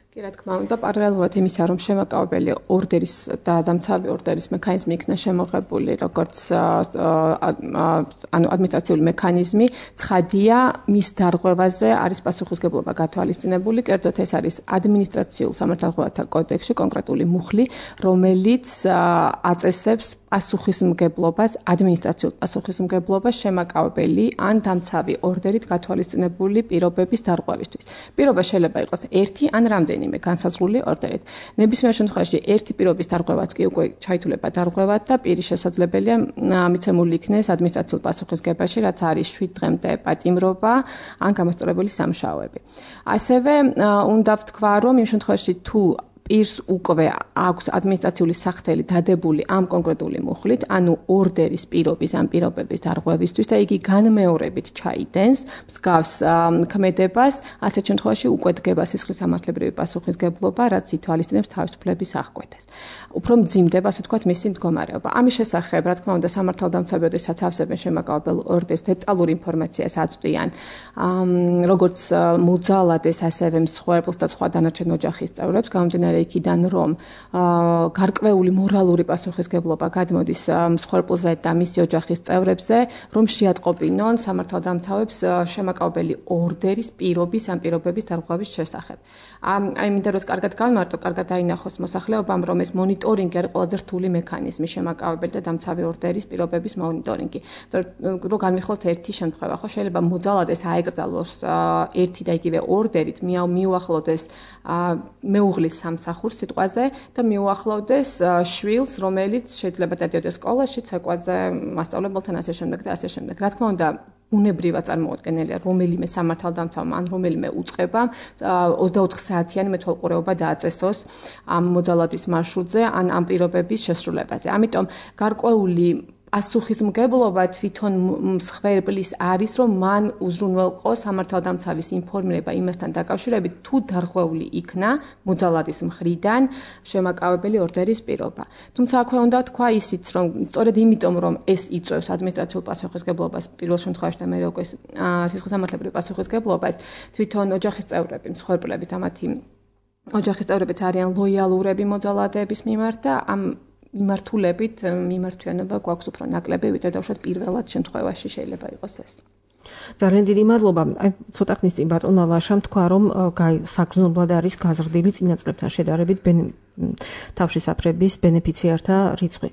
კი, რა თქმა უნდა, პარალელურად იმისა, რომ შემაკავებელი ორდერის და დამცავი ორდერის მექანიზმი იქნა შემოღებული როგორც ადმინისტრაციული მექანიზმი, ცხადია, მის დარღვევაზე არის პასუხისმგებლობა გათვალისწინებული, კერძოდ ეს არის ადმინისტრაციულ სამართალდამცავთა კოდექსში კონკრეტული მუხლი, რომელიც აწესებს პასუხისმგებლობას, ადმინისტრაციულ პასუხისმგებლობას შემაკავებელი ან დამცავი ორდერით გათვალისწინებული პირობების დარღვევისთვის. პირობა შეიძლება იყოს ერთი ან რამდენიმე განსაზღვრული ორდერით. ნებისმიერ შემთხვევაში ერთი პირობის დარღვევაც კი უკვე ჩაითვლება დარღვევად და პირი შესაძლებელია მიცემული იქნეს ადმინისტრაციულ პასუხისმგებაში, რაც არის 7 დღემდე პატიმრობა ან გამოსწორებული სამუშაოები. ასევე უნდა ვთქვა, რომ იმ შემთხვევაში თუ პირს უკვე აქვს ადმინისტრაციული სახთელი დადებული ამ კონკრეტული მუხლით, ანუ ორდერის პირობის ან პირობების დარღვევისთვის და იგი განმეორებით ჩაიდენს მსგავს ქმედებას, ასეთ შემთხვევაში უკვე დგება სისხლის სამართლებრივი პასუხისმგებლობა, რაც ითვალისწინებს თავისუფლების აღკვეთას. უფრო მძიმდება, ასე ვთქვათ, მისი მდგომარეობა. ამის შესახებ, რა თქმა უნდა, სამართალდამცავი, როდესაც ავსებენ შემაკავებელ ორდერს, დეტალურ ინფორმაციას აწვდიან, როგორც მოძალადეს, ასევე მსხვერპლს და სხვა დანარჩენ ოჯახის წევრებს, გამომდინარე იქიდან, რომ გარკვეული მორალური პასუხისმგებლობა გადმოდის მსხვერპლზე და მისი ოჯახის წევრებზე, რომ შეატყობინონ სამართალდამცავებს შემაკავებელი ორდერის პირობის ან პირობების დარღვევის შესახებ. მინდა რომ კარგად განმარტო, კარგად დაინახოს მოსახლეობამ, რომ ეს მონიტორინგი არის ყველაზე რთული მექანიზმი შემაკავებელი და დამცავი ორდერის პირობების მონიტორინგი. რომ განვიხილოთ ერთი შემთხვევა, ხო შეიძლება მოძალადეს აეკრძალოს ერთი და იგივე ორდერით, მიუახლოვდეს მეუღლის სამსახურს სამსახურს სიტყვაზე და მიუახლოვდეს შვილს, რომელიც შეიძლება დადიოდეს სკოლაში, ცეკვაზე, მასწავლებელთან ასე შემდეგ და ასე შემდეგ. რა თქმა უნდა, უნებრივად წარმოუდგენელია რომელიმე სამართალდამცავმა ან რომელიმე უწყება 24 საათიანი მეთვალყურეობა დააწესოს ამ მოძალადის მარშრუტზე ან ამ პირობების შესრულებაზე. ამიტომ გარკვეული პასუხისმგებლობა თვითონ მსხვერპლის არის, რომ მან უზრუნველყო სამართალდამცავის ინფორმირება იმასთან დაკავშირებით, თუ დარღვეული იქნა მოძალადის მხრიდან შემაკავებელი ორდერის პირობა. თუმცა აქვე უნდა თქვა ისიც, რომ სწორედ იმიტომ, რომ ეს იწვევს ადმინისტრაციულ პასუხისმგებლობას პირველ შემთხვევაში და მე უკვე სისხლისამართლებრივ პასუხისმგებლობას, თვითონ ოჯახის წევრები, მსხვერპლები და მათი ოჯახის წევრებიც არიან ლოიალურები მოძალადეების მიმართ და ამ მიმართულებით მიმართვიანობა გვაქვს უფრო ნაკლები, ვიდრე დავუშვათ პირველად შემთხვევაში შეიძლება იყოს ეს. ძალიან დიდი მადლობა. აი ცოტა ხნის წინ ბატონ ლაშამ თქვა, რომ საგრძნობლად არის გაზრდილი წინა წლებთან შედარებით თავშესაფრების ბენეფიციართა რიცხვი.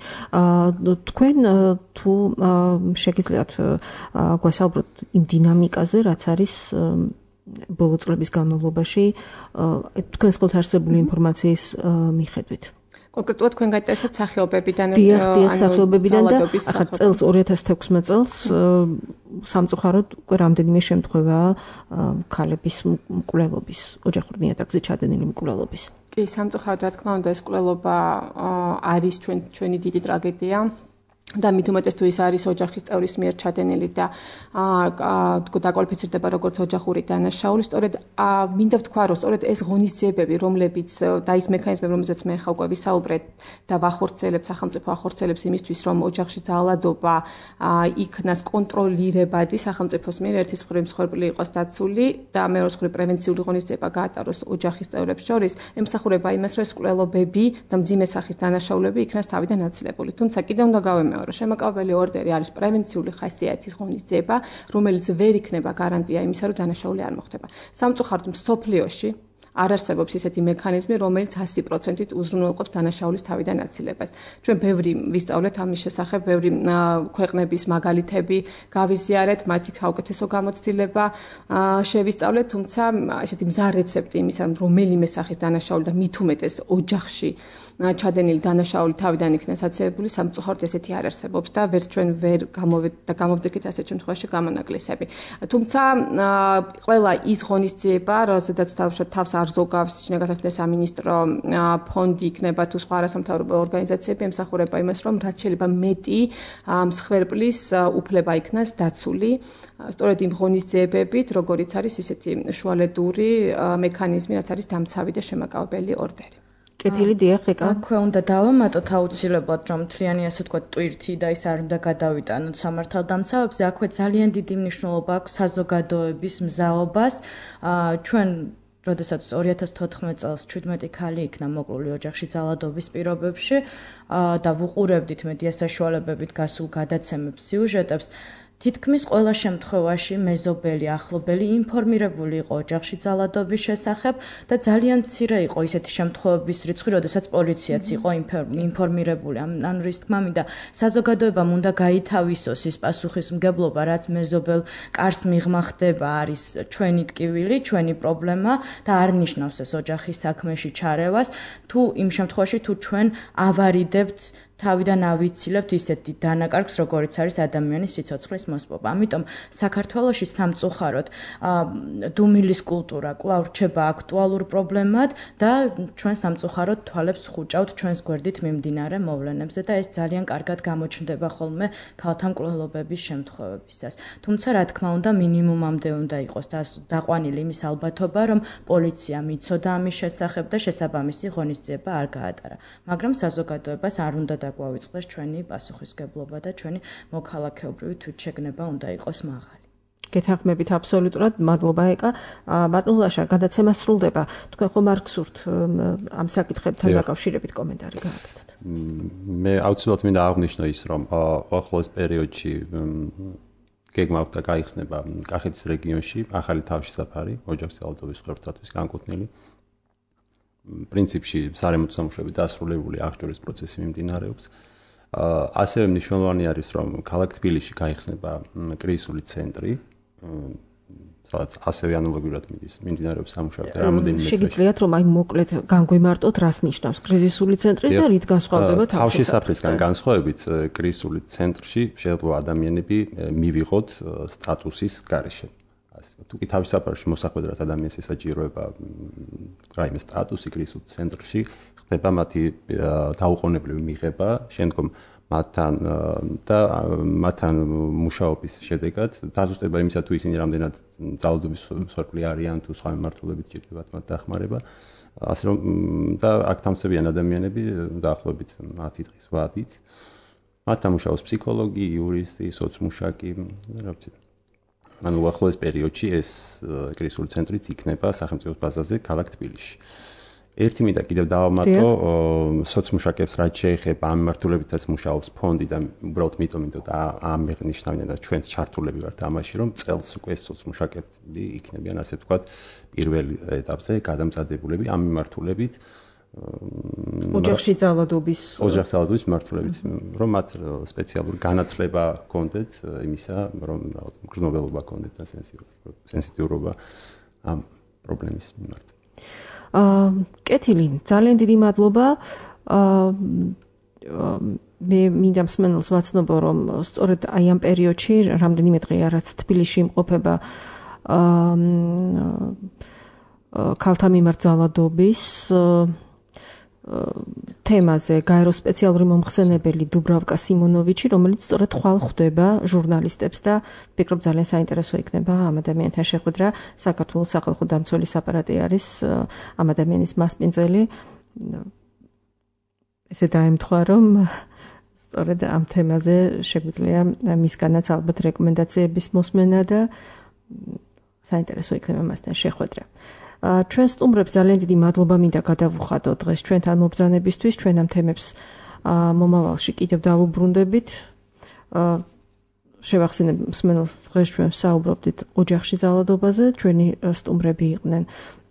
თქვენ თუ შეგიძლიათ გვესაუბროთ იმ დინამიკაზე, რაც არის ბოლო წლების განმავლობაში თქვენს ხელთ არსებული ინფორმაციის მიხედვით. კონკრეტულად თქვენ გაინტერესებთ სახეობებიდან დიახ, სახეობებიდან და ახლა წელს 2016 წელს სამწუხაროდ უკვე რამდენიმე შემთხვევაა ქალების მკვლელობის, ოჯახურ ნიადაგზე ჩადენილი მკვლელობის. კი, სამწუხაროდ რა თქმა უნდა ეს მკვლელობა არის ჩვენი დიდი ტრაგედია. და მით უმეტეს თუ ის არის ოჯახის წევრის მიერ ჩადენილი და დაკვალიფიცირდება როგორც ოჯახური დანაშაული, სწორედ მინდა ვთქვა, რომ სწორედ ეს ღონისძიებები, რომლებიც და ის მექანიზმები, რომელზეც მე ხა უკვე ვისაუბრეთ და ვახორციელებ, სახელმწიფო ახორციელებს იმისთვის, რომ ოჯახში ძალადობა იქნას კონტროლირებადი სახელმწიფოს მიერ, ერთის მხრივ მსხვერპლი იყოს დაცული და მეორეს მხრივ პრევენციული ღონისძიება გაატაროს ოჯახის წევრებს შორის, ემსახურება იმას, რომ ეს მკვლელობები და მძიმე სახის დანაშაულები იქნას თავიდან აცილებული. თუმცა კიდევ უნდა გავემეორო, რომ შემაკავებელი ორდერი არის პრევენციული ხასიათის ღონისძიება, რომელიც ვერ იქნება გარანტია იმისა, რომ დანაშაული არ მოხდება. სამწუხაროდ მსოფლიოში არ არსებობს ისეთი მექანიზმი, რომელიც 100%-ით უზრუნველყოფს დანაშაულის თავიდან აცილებას. ჩვენ ბევრი ვისწავლეთ ამის შესახებ, ბევრი ქვეყნების მაგალითები გავიზიარეთ, მათი საუკეთესო გამოცდილება შევისწავლეთ, თუმცა ესეთი მზარ რეცეპტი იმისა, რომ რომელიმე სახის დანაშაული და მით უმეტეს ოჯახში ჩადენილი დანაშაული თავიდან იქნას აცილებული, სამწუხაროდ ესეთი არ არსებობს და ვერც ჩვენ ვერ გამოვდექით ასეთ შემთხვევაში გამონაკლისები. თუმცა ყველა ის ღონისძიება, როდესაც თავს არ ზოგავს შინაგანსაკუთრებათა სამინისტრო ფონდი იქნება თუ სხვა არასამთავრობო ორგანიზაციები, ემსახურება იმას, რომ რაც შეიძლება მეტი მსხვერპლის უფლება იქნას დაცული, სწორედ იმ ღონისძიებებით, როგორიც არის ისეთი შუალედური მექანიზმი, რაც არის დამცავი და შემაკავებელი ორდერი. კეთილი დიახ, ეკა. აქვე უნდა დავამატოთ აუცილებლად, რომ მთლიანი ასე ვთქვათ ტვირთი და ის არ უნდა გადავიტანოთ სამართალდამცავებზე, აქვე ძალიან დიდი მნიშვნელობა აქვს საზოგადოების მზაობას. ჩვენ როდესაც 2014 წელს 17 ქალი იქნა მოკლული ოჯახში ძალადობის პირობებში და ვუყურებდით მედია საშუალებებით გასულ გადაცემებს, სიუჟეტებს, თითქმის ყველა შემთხვევაში მეზობელი, ახლობელი ინფორმირებული იყო ოჯახში ძალადობის შესახებ და ძალიან მცირე იყო ისეთი შემთხვევების რიცხვი, როდესაც პოლიციაც იყო ინფორმირებული. ანუ რის თქმა მინდა, საზოგადოებამ უნდა გაითავისოს ის პასუხისმგებლობა, რაც მეზობელ კარს მიღმა ხდება, არის ჩვენი ტკივილი, ჩვენი პრობლემა და არ ნიშნავს ეს ოჯახის საქმეში ჩარევას, თუ იმ შემთხვევაში თუ ჩვენ ავარიდებთ თავიდან ავიცილებთ ისეთი დანაკარგს, როგორიც არის ადამიანის სიცოცხლის მოსპობა. ამიტომ საქართველოში სამწუხაროდ დუმილის კულტურა კვლავ რჩება აქტუალურ პრობლემად და ჩვენ სამწუხაროდ თვალებს ხუჭავთ ჩვენს გვერდით მიმდინარე მოვლენებზე და ეს ძალიან კარგად გამოჩნდება ხოლმე ქალთა მკვლელობების შემთხვევებისას. თუმცა რა თქმა უნდა მინიმუმამდე უნდა იყოს დაყვანილი იმის ალბათობა, რომ პოლიცია მიცოდა ამის შესახებ და შესაბამისი ღონისძიება არ გაატარა. მაგრამ საზოგადოებას არ უნდა დაგვავიწყდეს ჩვენი პასუხისმგებლობა და ჩვენი მოქალაქეობრივი თვითშეგნება უნდა იყოს მაღალი. გეთანხმებით აბსოლუტურად, მადლობა ეკა. ბატონ ლაშა, გადაცემა სრულდება. თქვენ ხომ არ გსურთ ამ საკითხებთან დაკავშირებით კომენტარი გააკეთოთ? მე აუცილებლად მინდა აღვნიშნო ის, რომ ახლოს პერიოდში გეგმავთ და გაიხსნება კახეთის რეგიონში ახალი თავშესაფარი ოჯახის ძალადობის მსხვერპლთათვის განკუთვნილი. პრინციპში სარემონტო სამუშაოები დასრულებული, აღჭურვის პროცესი მიმდინარეობს. ასევე მნიშვნელოვანი არის, რომ ქალაქ თბილისში გაიხსნება კრიზისული ცენტრი, სადაც ასევე ანალოგიურად მიმდინარეობს სამუშაო და რამოდენიმე შეგიძლიათ რომ აი მოკლედ განგვიმარტოთ რას ნიშნავს კრიზისული ცენტრი და რით განსხვავდება თავშესაფრისგან განსხვავებით კრიზისული ცენტრში შეიძლება ადამიანები მივიღოთ სტატუსის გარეშე. თუ კი თავშესაფრში მოსახვედრად ადამიანს ესაჭიროება რაიმე სტატუსი კრიზისულ ცენტრში ხდება მათი დაუყოვნებლივი მიღება შემდგომ მათთან მუშაობის შედეგად დაზუსტება იმისა თუ ისინი რამდენად ძალადობის მსხვერპლი არიან თუ სხვა მიმართულებით ჭირდებათ მათ დახმარება ასე რომ და აქ თავმსებიან ადამიანები დაახლოებით 10 დღის ვადით მათთან მუშაობს ფსიქოლოგი, იურისტი, სოცმუშაკი რა ვიცი ანუ უახლოეს პერიოდში ეს კრიზისული ცენტრიც იქნება სახელმწიფოს ბაზაზე ქალაქ თბილისში ერთი მინდა კიდევ დავამატო სოცმუშაკებს რაც შეეხება ამ მიმართულებითაც მუშაობს ფონდი და უბრალოდ მიტომ ამ მეღნიშნავდნენ და ჩვენც ჩართულები ვართ ამაში რომ წელს უკვე სოცმუშაკები იქნებიან ასე ვთქვათ პირველ ეტაპზე გადამწადებულები ამ მიმართულებით ოჯახში ძალადობის მიმართულებით რომ მათ სპეციალური განათლება ჰქონდეთ იმისა რომ გრძნობელობა ჰქონდეთ და სენსიტიურობა ამ პრობლემის მიმართ კეთილი, ძალიან დიდი მადლობა. მე მინდა მსმენელს ვაცნობო, რომ სწორედ აი ამ პერიოდში, რამდენიმე დღეა რაც თბილისში იმყოფება ქალთა მიმართ ძალადობის თემაზე გაერო სპეციალური მომხსენებელი დუბრავკა სიმონოვიჩი, რომელიც სწორედ ხვალ ხვდება ჟურნალისტებს და ვფიქრობ ძალიან საინტერესო იქნება ამ ადამიანთან შეხვედრა. საქართველოს სახალხო დამცველის აპარატი არის ამ ადამიანის მასპინძელი. ესე დაემთხვა, რომ სწორედ ამ თემაზე შეგვიძლია მისგანაც ალბათ რეკომენდაციების მოსმენა და საინტერესო იქნება მასთან შეხვედრა. ჩვენ სტუმრებს ძალიან დიდი მადლობა მინდა გადავუხადოთ დღეს ჩვენთან მობრძანებისთვის, ჩვენ ამ თემებს მომავალში კიდევ დავუბრუნდებით. შევახსენებ მსმენელს დღეს ჩვენ საუბრობდით ოჯახში ძალადობაზე, ჩვენი სტუმრები იყვნენ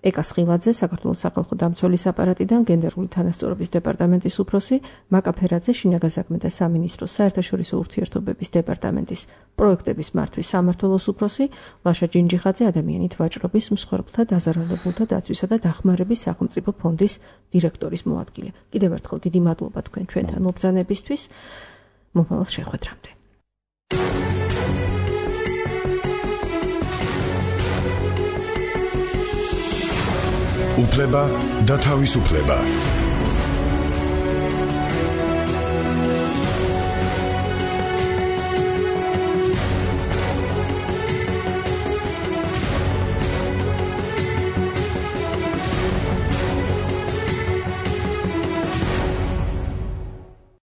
ეკა სხილაძე, საქართველოს სახალხო დამცველის აპარატიდან, გენდერული თანასწორობის დეპარტამენტის უფროსი, მაკა ფერაძე, შინაგან საქმეთა სამინისტროს საერთაშორისო ურთიერთობების დეპარტამენტის პროექტების მართვის სამმართველოს უფროსი, ლაშა ჯინჯიხაძე, ადამიანით ვაჭრობის, მსხვერპლთა, დაზარალებულთა დაცვისა და დახმარების სახელმწიფო ფონდის დირექტორის მოადგილე. კიდევ ერთხელ დიდი მადლობა თქვენ ჩვენთან მობრძანებისთვის. მომავალ შეხვედრამდე. უფლება და თავისუფლება